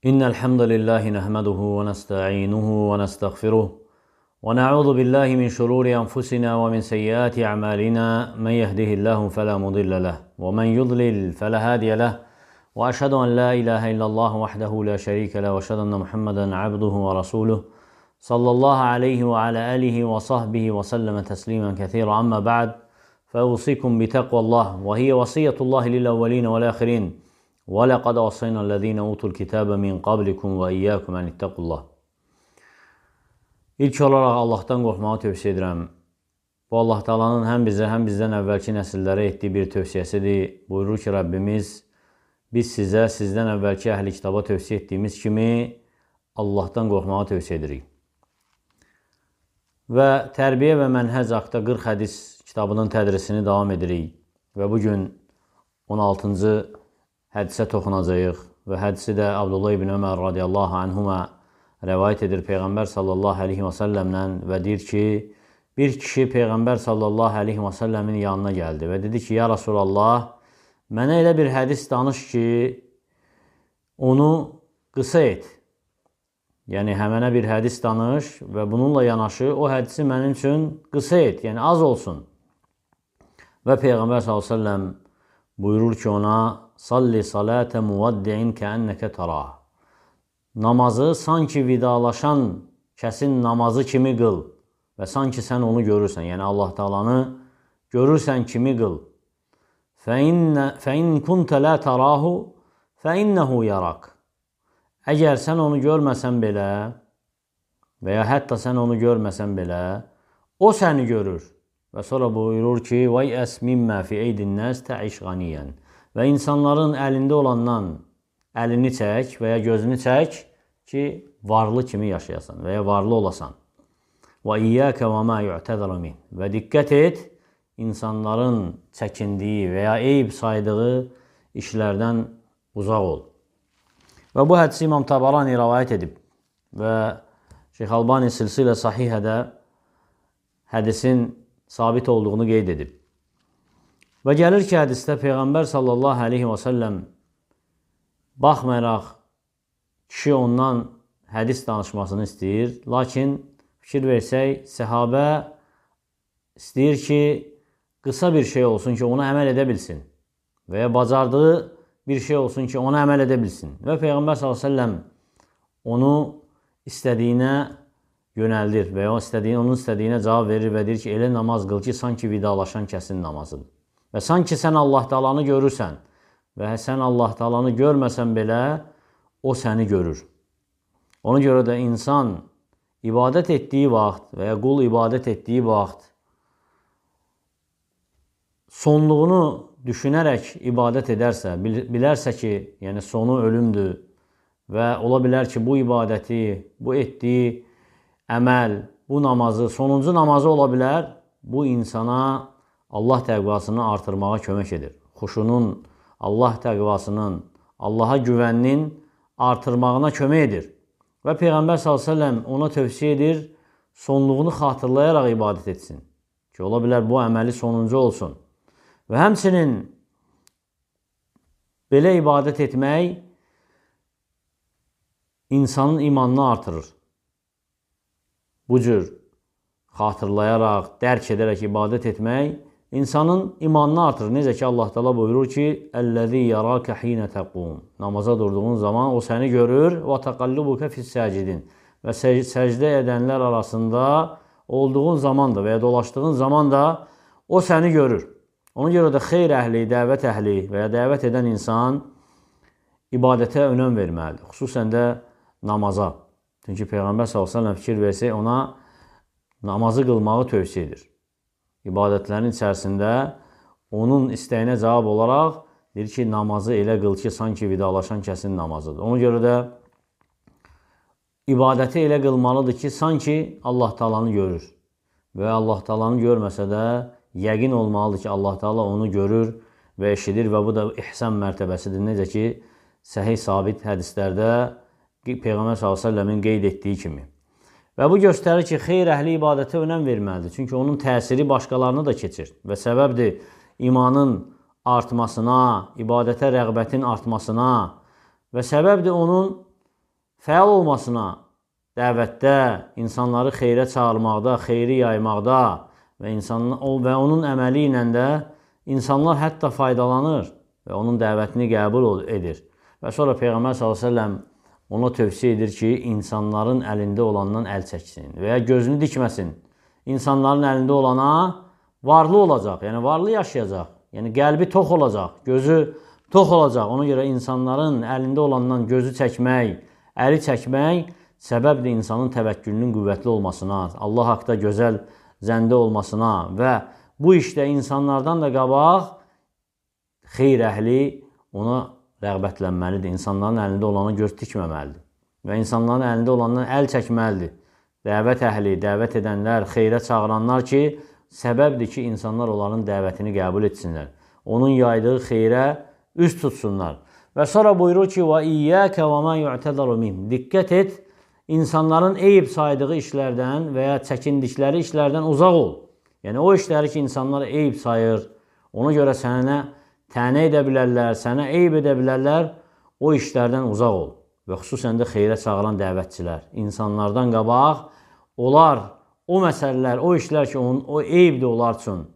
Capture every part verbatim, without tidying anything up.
إن الحمد لله نحمده ونستعينه ونستغفره ونعوذ بالله من شرور أنفسنا ومن سيئات أعمالنا. من يهده الله فلا مضل له ومن يضلل فلا هادي له، وأشهد أن لا إله إلا الله وحده لا شريك له، وأشهد أن محمدا عبده ورسوله صلى الله عليه وعلى آله وصحبه وسلم تسليما كثيرا. أما بعد، فأوصيكم بتقوى الله، وهي وصية الله للأولين والآخرين. وَلَقَدْ وَصَّيْنَا الَّذ۪ينَ اُوتُوا الْكِتَابَ مِنْ قَبْلِكُمْ وَاِيَّاكُمْ اَنِ اتَّقُوا اللّٰهِ. İlk olaraq Allahdan qorxmağı tövsiyə edirəm. Bu Allah Taala'nın həm bizə, həm bizdən əvvəlki nəsillərə etdiyi bir tövsiyəsidir. Buyurur ki, Rəbbimiz, biz sizə, sizdən əvvəlki əhl-i kitaba tövsiyə etdiyimiz kimi Allahdan qorxmağı tövsiyə edirik. Və Tərbiyə və Mənhəc haqda qırx hədis kitabının tədrisini davam edirik. Və bugün on altıncı hədisə toxunacağıq və hədisi də Abdullah ibn Ömər radiyallahu anhuma rəvayət edir Peyğəmbər sallallahu aleyhi və səlləmdən və deyir ki, bir kişi Peyğəmbər sallallahu aleyhi və səlləmin yanına gəldi və dedi ki, ya Rasulallah, mənə elə bir hədis danış ki, onu qısa et. Yəni, həmənə bir hədis danış və bununla yanaşı o hədisi mənim üçün qısa et, yəni az olsun. Və Peyğəmbər sallallahu aleyhi və səlləm buyurur ki ona, salli salətə muvaddi'in kəənnəkə tarah. Namazı sanki vidalaşan kəsin namazı kimi qıl və sanki sən onu görürsən, yəni Allah Taalanı görürsən kimi qıl. Fəin kuntə lə tarahu fəinnəhu yarak. Əgər sən onu görməsən belə və ya hətta sən onu görməsən belə, o səni görür. Və sonra buyurur ki, vəy əs mimmə fi eydin nəs təiş qaniyyən. Və insanların əlində olandan əlini çək və ya gözünü çək ki, varlı kimi yaşayasan və ya varlı olasan. Və iyyəkə və mə yu'təzərə min. Və diqqət et, insanların çəkindiyi və ya eyb saydığı işlərdən uzaq ol. Və bu hədisi İmam Tabarani rəvayət edib və Şeyx Albani silsilə sahihədə hədisin sabit olduğunu qeyd edib. Və gəlir ki, hədisdə Peyğəmbər sallallahu aleyhi və səlləm baxmayaraq kişi ondan hədis danışmasını istəyir. Lakin fikir versək, səhabə istəyir ki, qısa bir şey olsun ki, ona əməl edə bilsin. Və ya bacardığı bir şey olsun ki, ona əməl edə bilsin. Və Peyğəmbər sallallahu aleyhi və səlləm onu istədiyinə yönəldir və ya onun istədiyinə cavab verir və deyir ki, elə namaz qıl ki, sanki vidalaşan kəsin namazıdır. Və sanki sən Allah Taalanı görürsən və sən Allah Taalanı görməsən belə, o səni görür. Ona görə də insan ibadət etdiyi vaxt və ya qul ibadət etdiyi vaxt sonluğunu düşünərək ibadət edərsə, bilərsə ki, yəni sonu ölümdür və ola bilər ki, bu ibadəti, bu etdiyi əməl, bu namazı, sonuncu namazı ola bilər, bu insana Allah təqvasını artırmağa kömək edir. Xuşunun, Allah təqvasının, Allaha güvəninin artırmağına kömək edir. Və Peyğəmbər sallallahu əleyhi və səlləm ona tövsiyə edir, sonluğunu xatırlayaraq ibadət etsin. Ki, ola bilər bu əməli sonuncu olsun. Və həmçinin belə ibadət etmək insanın imanını artırır. Bu cür xatırlayaraq, dərk edərək ibadət etmək insanın imanını artırır. Necə ki, Allah Taala buyurur ki, "Əl-ləzî yarâke hîne təqûm." Namaza durduğun zaman o səni görür. "Və təqallubuke fis-sâcidin." Və səcdə edənlər arasında olduğun zaman da və ya dolaşdığın zaman da o səni görür. Ona görə də xeyr əhli, dəvət əhli və ya dəvət edən insan ibadətə önəm verməlidir. Xüsusən də namaza. Çünki Peyğəmbər sallallahu əleyhi və səlləm fikir versək, ona namazı qılmağı tövsiyə edir. İbadətlərin içərisində onun istəyinə cavab olaraq deyir ki, namazı elə qıl ki, sanki vidalaşan kəsin namazıdır. Ona görə də ibadəti elə qılmalıdır ki, sanki Allah Taalanı görür. Və Allah Taalanı görməsə də yəqin olmalıdır ki, Allah Taala onu görür və eşidir və bu da ihsan mərtəbəsidir. Necə ki, səhih sabit hədislərdə Peyğəmbər sallallahu əleyhi və səlləmin qeyd etdiyi kimi. Və bu göstərir ki, xeyr əhli ibadətə önəm verməlidir. Çünki onun təsiri başqalarını da keçir. Və səbəbdir imanın artmasına, ibadətə rəğbətin artmasına və səbəbdir onun fəal olmasına, dəvətdə, insanları xeyrə çağırmaqda, xeyri yaymaqda və, insan, və onun əməli ilə də insanlar hətta faydalanır və onun dəvətini qəbul edir. Və sonra Peyğəmbər sallallahu əleyhi və səlləm ona tövsiyə edir ki, insanların əlində olandan əl çəksin və ya gözünü dikməsin. İnsanların əlində olana varlı olacaq, yəni varlı yaşayacaq, yəni qəlbi tox olacaq, gözü tox olacaq. Ona görə insanların əlində olandan gözü çəkmək, əli çəkmək səbəbdir insanın təvəkkülünün qüvvətli olmasına, Allah haqda gözəl zəndə olmasına və bu işdə insanlardan da qabaq xeyr əhli ona rəğbətlənməlidir. İnsanların əlində olana göz tikməməlidir və insanların əlində olandan əl çəkməlidir. Dəvət əhli, dəvət edənlər, xeyrə çağıranlar ki, səbəbdir ki, insanlar onların dəvətini qəbul etsinlər. Onun yaydığı xeyrə üz tutsunlar. Və sonra buyurur ki, وَإِيَّاكَ وَمَا يُعْتَذَرُ مِنْهُ Diqqət et, insanların eyib saydığı işlərdən və ya çəkindikləri işlərdən uzaq ol. Yəni, o işləri ki, insanlar eyib sayır, ona görə sənə tənə edə bilərlər, sənə eyib edə bilərlər, o işlərdən uzaq ol. Və xüsusən də xeyrə çağıran dəvətçilər. İnsanlardan qabaq, onlar, o məsələlər, o işlər ki, onun, o eyibdir onlar üçün,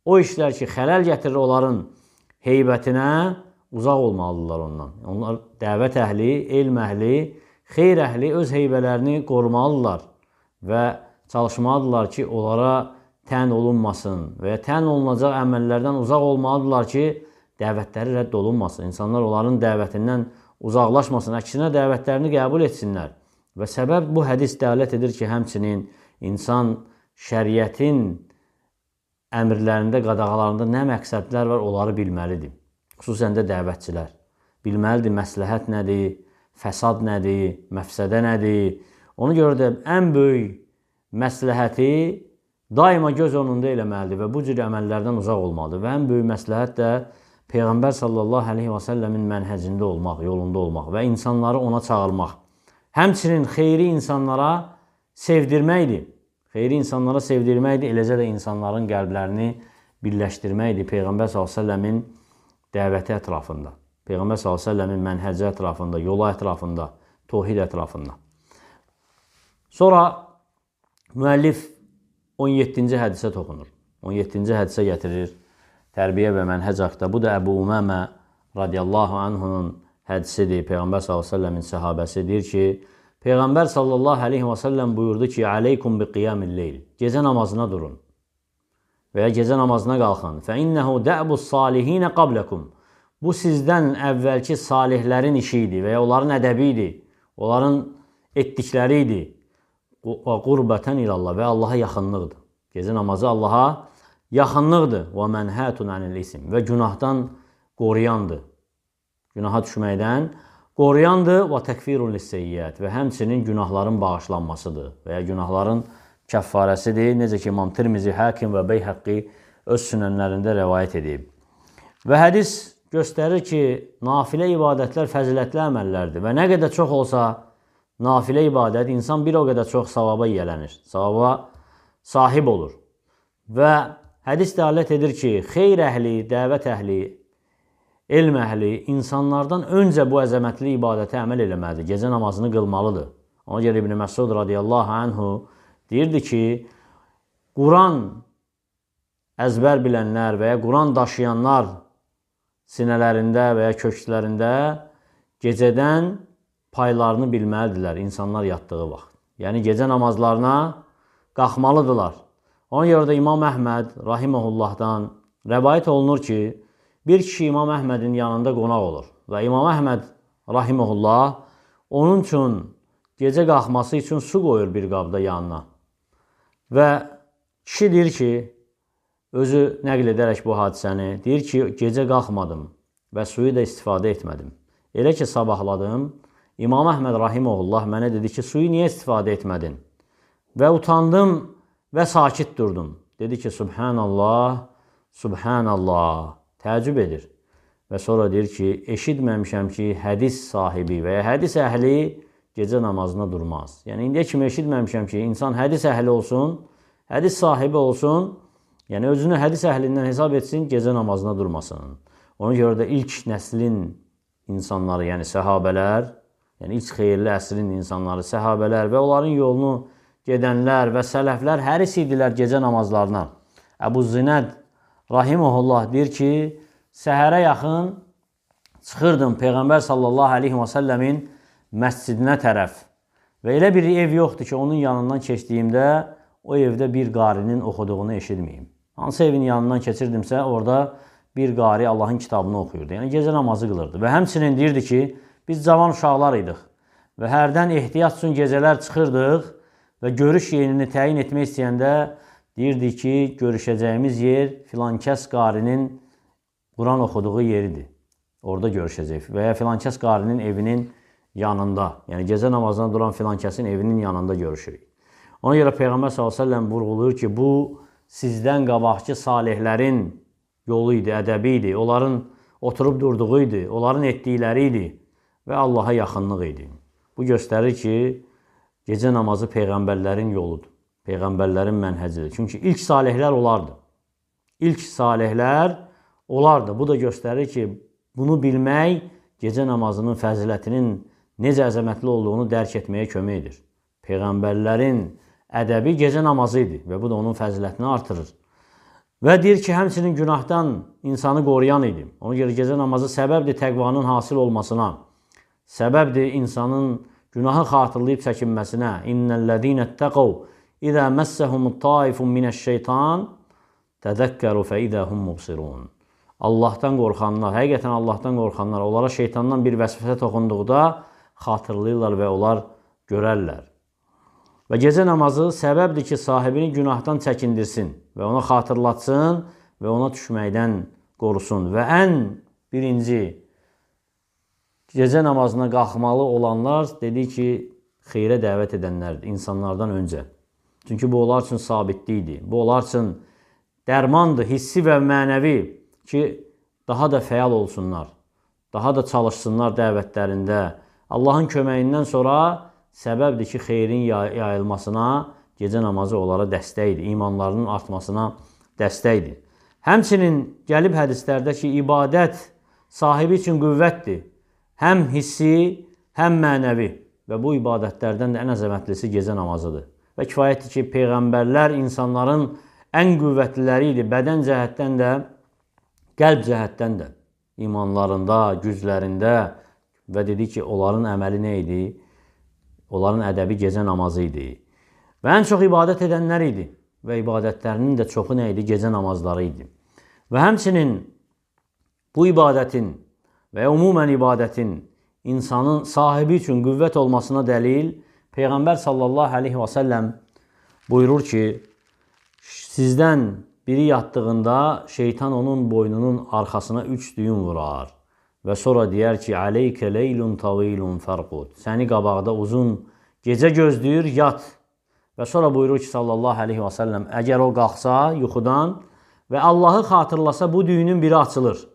o işlər ki, xələl gətirir onların heybətinə, uzaq olmalıdırlar ondan. Onlar dəvət əhli, elm əhli, xeyr əhli öz heybələrini qorumalıdırlar və çalışmalıdırlar ki, onlara tən olunmasın və ya tən olunacaq əməllərdən uzaq olmalıdırlar ki, dəvətləri rədd olunmasın. İnsanlar onların dəvətindən uzaqlaşmasın, əksinə dəvətlərini qəbul etsinlər. Və səbəb bu hədis dəlalət edir ki, həmçinin insan şəriətin əmrlərində, qadağalarında nə məqsədlər var, onları bilməlidir. Xüsusən də dəvətçilər. Bilməlidir məsləhət nədir, fəsad nədir, məfsədə nədir. Ona görə də ən böyük məsləhəti daima göz önündə eləməlidir və bu cür əməllərdən uzaq olmalıdır. Və ən böyük məsləhət də Peyğəmbər sallallahu əleyhi və səlləmin mənhəcində olmaq, yolunda olmaq və insanları ona çağırmaq. Həmçinin xeyri insanlara sevdirməkdir. Xeyri insanlara sevdirməkdir, eləcə də insanların qəlblərini birləşdirməkdir Peyğəmbər sallallahu əleyhi və səlləmin dəvəti ətrafında. Peyğəmbər sallallahu əleyhi və səlləmin mənhəci ətrafında, yola ətrafında, tohid ətrafında. Sonra müəllif on yeddinci hədisə toxunur. on yeddinci hədisə gətirir tərbiyə və mənhəc haqda. Bu da Əbu Umamə radiyallahu anhunun hədisidir. Peyğəmbər sallallahu əleyhi və səlləmin səhabəsi deyir ki, Peyğəmbər sallallahu əleyhi və səlləm buyurdu ki, "Aleykum bi qiyamil leyl." Gecə namazına durun və ya gecə namazına qalxın. "Fə innehu da'bus salihin qablakum." Bu sizdən əvvəlki salihlərin işi idi və ya onların ədəbi idi, onların etdikləri idi. Və qurbətən ilallah və Allaha yaxınlıqdır. Gecə namazı Allaha yaxınlıqdır. Və mənhətun anil isim və günahdan qoruyandır. Günaha düşməkdən qoruyandır və təkfirun lisseyyiət və həmçinin günahların bağışlanmasıdır və ya günahların kəffarəsidir. Necə ki, İmam Tirmizi, Hakim və Beyhəqqi öz sünənlərində rəvayət edib. Və hədis göstərir ki, nafilə ibadətlər fəzilətli əməllərdir və nə qədər çox olsa nafilə ibadət, insan bir o qədər çox savaba yiyələnir, savaba sahib olur. Və hədis dəlalət edir ki, xeyr əhli, dəvət əhli, elm əhli insanlardan öncə bu əzəmətli ibadətə əməl eləməlidir, gecə namazını qılmalıdır. Ona görə İbn Məsud radiyallahu anhu deyirdi ki, Quran əzbər bilənlər və ya Quran daşıyanlar sinələrində və ya kökslərində gecədən paylarını bilməlidirlər insanlar yatdığı vaxt. Yəni, gecə namazlarına qalxmalıdırlar. Ona görə də İmam Əhməd rahiməhullahdan rəvayət olunur ki, bir kişi İmam Əhmədin yanında qonaq olur və İmam Əhməd rahiməhullah onun üçün gecə qalxması üçün su qoyur bir qabda yanına. Və kişi deyir ki, özü nəql edərək bu hadisəni, deyir ki, gecə qalxmadım və suyu da istifadə etmədim. Elə ki, sabahladım, İmam Əhməd rahiməhullah mənə dedi ki, suyu niyə istifadə etmədin? Və utandım və sakit durdum. Dedi ki, Subhanallah, Subhanallah, təəccüb edir. Və sonra deyir ki, eşitməmişəm ki, hədis sahibi və ya hədis əhli gecə namazına durmaz. Yəni, indiyə kimi eşitməmişəm ki, insan hədis əhli olsun, hədis sahibi olsun, yəni özünü hədis əhlindən hesab etsin, gecə namazına durmasın. Ona görə də ilk nəslin insanları, yəni səhabələr, yəni ilk xeyirli əsrin insanları, səhabələr və onların yolunu gedənlər və sələflər həris idilər gecə namazlarına. Əbu Zinəd rahimehullah deyir ki, səhərə yaxın çıxırdım Peyğəmbər sallallahu aleyhi və səlləmin məscidinə tərəf və elə bir ev yoxdur ki, onun yanından keçdiyimdə o evdə bir qarinin oxuduğunu eşitməyim. Hansı evin yanından keçirdimsə, orada bir qari Allahın kitabını oxuyurdu. Yəni, gecə namazı qılırdı. Və həmçinin deyirdi ki, biz cavan uşaqlar idik və hərdən ehtiyat üçün gecələr çıxırdıq və görüş yerini təyin etmək istəyəndə deyirdi ki, görüşəcəyimiz yer filankəs qarinin Quran oxuduğu yeridir. Orada görüşəcək və ya filankəs qarinin evinin yanında, yəni gecə namazına duran filankəsin evinin yanında görüşürük. Ona görə Peyğəmbər sallallahu əleyhi və səlləm vurğulayır ki, bu sizdən qabaqçı salihlərin yolu idi, ədəbi idi, onların oturub durduğu idi, onların etdikləri idi və Allaha yaxınlıq idi. Bu göstərir ki, gecə namazı Peyğəmbərlərin yoludur, Peyğəmbərlərin mənhəcidir. Çünki ilk salihlər olardı. İlk salihlər olardı. Bu da göstərir ki, bunu bilmək gecə namazının fəzilətinin necə əzəmətli olduğunu dərk etməyə kömək edir. Peyğəmbərlərin ədəbi gecə namazı idi və bu da onun fəzilətini artırır. Və deyir ki, həmçinin günahdan insanı qoruyan idi. Ona görə gecə namazı səbəbdir təqvanın hasil olmasına, səbəbdir insanın günahı xatırlayıb çəkinməsinə. İnnellezîne ittaqav izâ messehumut taifun mineşşeytan tezekkeru fe izâ hum mubsirun. Allahdan qorxanlar, həqiqətən Allahdan qorxanlar, onlara şeytandan bir vəsvəsə toxunduqda xatırlayırlar və onlar görərlər. Və gecə namazı səbəbdir ki, sahibini günahdan çəkindirsin və ona xatırlatsın və ona düşməkdən qorusun. Və ən birinci gecə namazına qalxmalı olanlar dedik ki, xeyrə dəvət edənlərdir insanlardan öncə. Çünki bu onlar üçün sabitlikdir. Bu onlar üçün dərmandır, hissi və mənəvi ki, daha da fəal olsunlar, daha da çalışsınlar dəvətlərində. Allahın köməyindən sonra səbəbdir ki, xeyrin yayılmasına gecə namazı onlara dəstəkdir, imanlarının artmasına dəstəkdir. Həmçinin gəlib hədislərdə ki, ibadət sahibi üçün qüvvətdir. Həm hissi, həm mənəvi və bu ibadətlərdən də ən əzəmətlisi gecə namazıdır. Və kifayətdir ki, Peyğəmbərlər insanların ən qüvvətliləri idi, bədən cəhətdən də, qəlb cəhətdən də, imanlarında, güclərində və dedik ki, onların əməli nə idi? Onların ədəbi gecə namazı idi. Və ən çox ibadət edənlər idi və ibadətlərinin də çoxu nə idi? Gecə namazları idi. Və həmçinin bu ibadətin və ümumən ibadətin insanın sahibi üçün qüvvət olmasına dəlil Peyğəmbər sallallahu aleyhi və səlləm buyurur ki, sizdən biri yatdığında şeytan onun boynunun arxasına üç düyün vurar. Və sonra deyər ki, aleykə leylun tavilun fərqud. Səni qabaqda uzun gecə gözləyir, yat. Və sonra buyurur ki, sallallahu aleyhi və səlləm, əgər o qalxsa yuxudan və Allahı xatırlasa, bu düyünün biri açılır.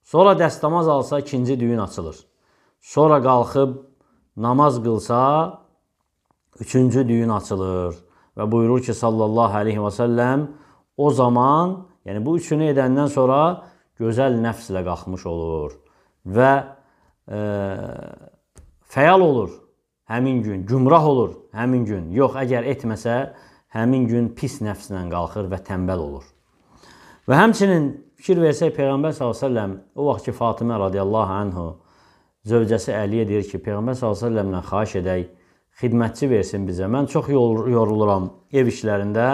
Sonra dəstəmaz alsa, ikinci düyün açılır. Sonra qalxıb namaz qılsa, üçüncü düyün açılır. Və buyurur ki, sallallahu aleyhi və səlləm, o zaman, yəni bu üçünü edəndən sonra gözəl nəfslə qalxmış olur və e, fəal olur həmin gün, gümrah olur həmin gün. Yox, əgər etməsə, həmin gün pis nəfslə qalxır və tənbəl olur. Və həmçinin fikir versək, Peyğəmbər sallallahu əleyhi və səlləm o vaxt ki, Fatimə radiyallahu anhu zövcəsi Əliyə deyir ki, Peyğəmbər sallallahu əleyhi və səlləmlə xahiş edək, xidmətçi versin bizə. Mən çox yoruluram ev işlərində.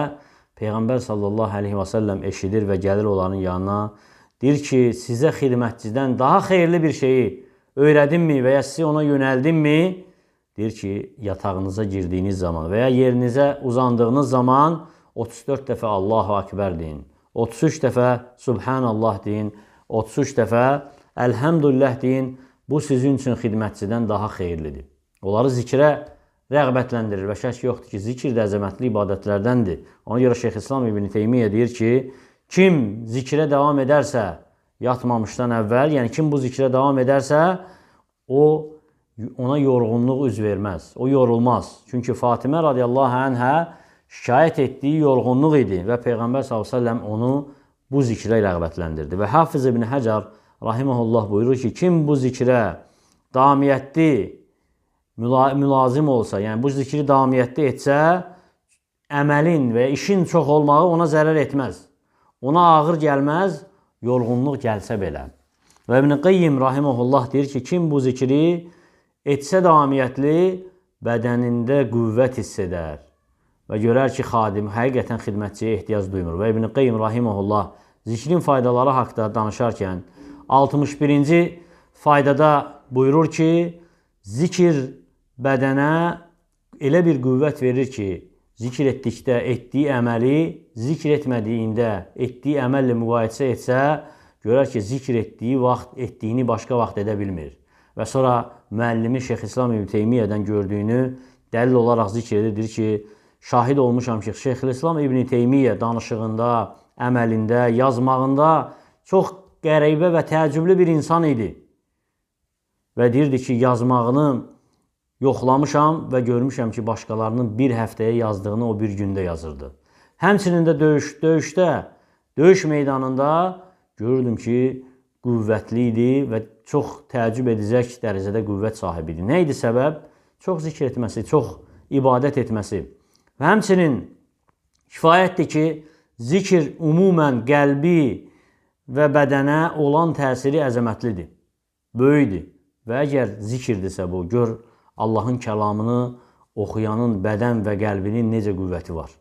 Peyğəmbər sallallahu əleyhi və səlləm eşidir və gəlir onların yanına. Deyir ki, sizə xidmətçidən daha xeyirli bir şeyi öyrədimmi və ya sizi ona yönəldimmi? Deyir ki, yatağınıza girdiyiniz zaman və ya yerinizə uzandığınız zaman otuz dörd dəfə Allahu Akbar deyin, otuz üç dəfə Subhanallah deyin, otuz üç dəfə Elhamdülillah deyin. Bu sizin üçün xidmətçidən daha xeyirlidir. Onları zikrə rəğbətləndirir və şək yoxdur ki, zikr də əzəmətli ibadətlərdəndir. Ona görə Şeyxülislam İbn Teymiyyə deyir ki, kim zikrə davam edərsə, yatmamışdan əvvəl, yəni kim bu zikrə davam edərsə, o ona yorğunluq üz verməz, o yorulmaz. Çünki Fatimə radiyallahu anhə şikayət etdiyi yorğunluq idi və Peyğəmbər sallallahu əleyhi və səlləm onu bu zikrə rəğbətləndirdi. Və Hafiz İbn Həcər rahimehullah buyurur ki, kim bu zikrə davamiyyətli müla mülazim olsa, yəni bu zikri davamiyyətdə etsə, əməlin və işin çox olmağı ona zərər etməz. Ona ağır gəlməz, yorğunluq gəlsə belə. Və İbn Qayyim rahimehullah deyir ki, kim bu zikri etsə davamiyyətli, bədənində qüvvət hiss edər və görər ki, xadim həqiqətən xidmətçiyə ehtiyac duymur. Və İbn Qayyim rahimehullah zikrin faydaları haqda danışarkən altmış birinci faydada buyurur ki, zikir bədənə elə bir qüvvət verir ki, zikr etdikdə etdiyi əməli zikr etmədiyində etdiyi əməllə müqayisə etsə, görər ki, zikr etdiyi vaxt etdiyini başqa vaxt edə bilmir. Və sonra müəllimi Şeyxülislam İbn Teymiyyədən gördüyünü dəlil olaraq zikr edir ki, şahid olmuşam ki, Şeyxülislam İbn Teymiyyə danışığında, əməlində, yazmağında çox qəribə və təəccüblü bir insan idi. Və deyirdi ki, yazmağını yoxlamışam və görmüşəm ki, başqalarının bir həftəyə yazdığını o bir gündə yazırdı. Həmçinin də döyüş, döyüşdə, döyüş meydanında görürdüm ki, qüvvətli idi və çox təəccüb edəcək dərəcədə qüvvət sahibi idi. Nə idi səbəb? Çox zikr etməsi, çox ibadət etməsi. Və həmçinin kifayətdir ki, zikr ümumən qəlbi və bədənə olan təsiri əzəmətlidir, böyükdür. Və əgər zikirdirsə bu, gör Allahın kəlamını oxuyanın bədən və qəlbinin necə qüvvəti var.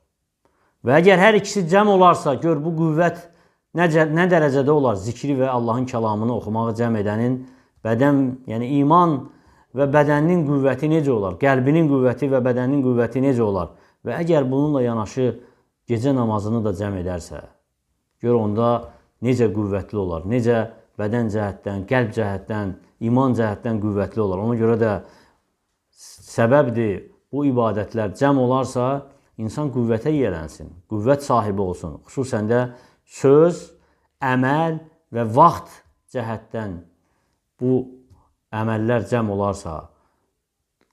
Və əgər hər ikisi cəm olarsa, gör bu qüvvət nə, nə dərəcədə olar? Zikri və Allahın kəlamını oxumağı cəm edənin bədən, yəni iman və bədəninin qüvvəti necə olar? Qəlbinin qüvvəti və bədəninin qüvvəti necə olar? Və əgər bununla yanaşı gecə namazını da cəm edərsə, gör onda necə qüvvətli olar? Necə bədən cəhətdən, qəlb cəhətdən, iman cəhətdən qüvvətli olar? Ona görə də səbəbdir, bu ibadətlər cəm olarsa, insan qüvvətə yiyələnsin, qüvvət sahibi olsun. Xüsusən də söz, əməl və vaxt cəhətdən bu əməllər cəm olarsa,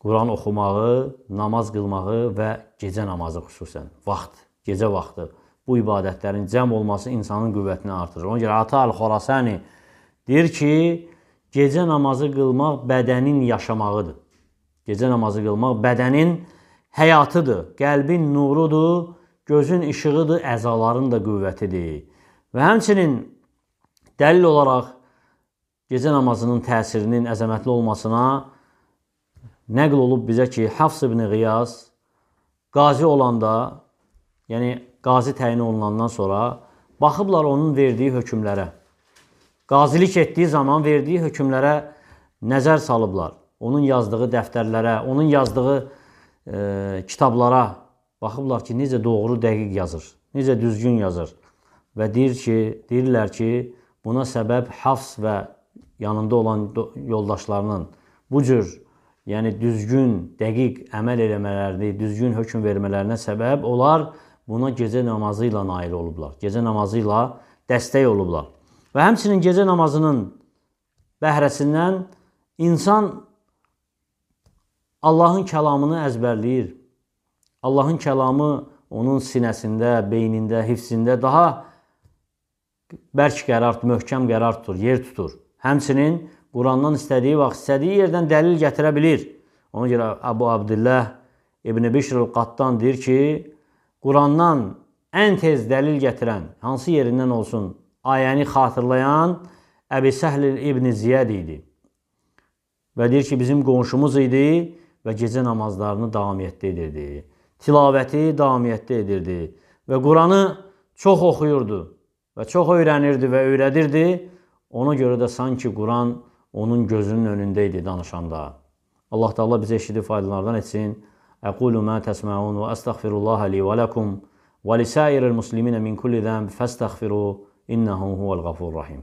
Quran oxumağı, namaz qılmağı və gecə namazı xüsusən, vaxt, gecə vaxtı, bu ibadətlərin cəm olması insanın qüvvətini artırır. Ona görə Ata Əl-Xorasani deyir ki, gecə namazı qılmaq bədənin yaşamağıdır. Gecə namazı qılmaq bədənin həyatıdır, qəlbin nurudur, gözün işığıdır, əzaların da qüvvətidir. Və həmçinin dəlil olaraq gecə namazının təsirinin əzəmətli olmasına nəql olub bizə ki, Hafs ibn Qiyas qazi olanda, yəni qazi təyin olunandan sonra baxıblar onun verdiyi hökmlərə. Qazilik etdiyi zaman verdiyi hökmlərə nəzər salıblar. Onun yazdığı dəftərlərə, onun yazdığı e, kitablara baxıblar ki, necə doğru, dəqiq yazır, necə düzgün yazır. Və deyir ki, deyirlər ki, buna səbəb Hafs və yanında olan yoldaşlarının bu cür, yəni düzgün, dəqiq əməl eləmələrini, düzgün hökm vermələrinə səbəb olar, buna gecə namazı ilə nail olublar. Gecə namazı ilə dəstək olublar. Və həmçinin gecə namazının bəhrəsindən insan Allahın kəlamını əzbərləyir. Allahın kəlamı onun sinəsində, beynində, hifzində daha bərk qərar, möhkəm qərar tutur, yer tutur. Həmçinin Qurandan istədiyi vaxt, istədiyi yerdən dəlil gətirə bilir. Ona görə Əbu Abdillah İbn Bişr Qattan deyir ki, Qurandan ən tez dəlil gətirən, hansı yerindən olsun, ayəni xatırlayan Əbi Səhl İbn Ziyəd idi. Və deyir ki, bizim qonşumuz idi və gecə namazlarını davamiyyətdə edirdi. Tilavəti davamiyyətdə edirdi və Quranı çox oxuyurdu və çox öyrənirdi və öyrədirdi. Ona görə də sanki Quran onun gözünün önündə idi danışanda. Allah Teala bizə eşidib faydalardan etsin. Əqulu mə təsməun və əstəğfirullaha li və ləkum və lisəiril musliminə min kulli zəmb fəstəğfiru innəhu huvəl-ğafurur rahim.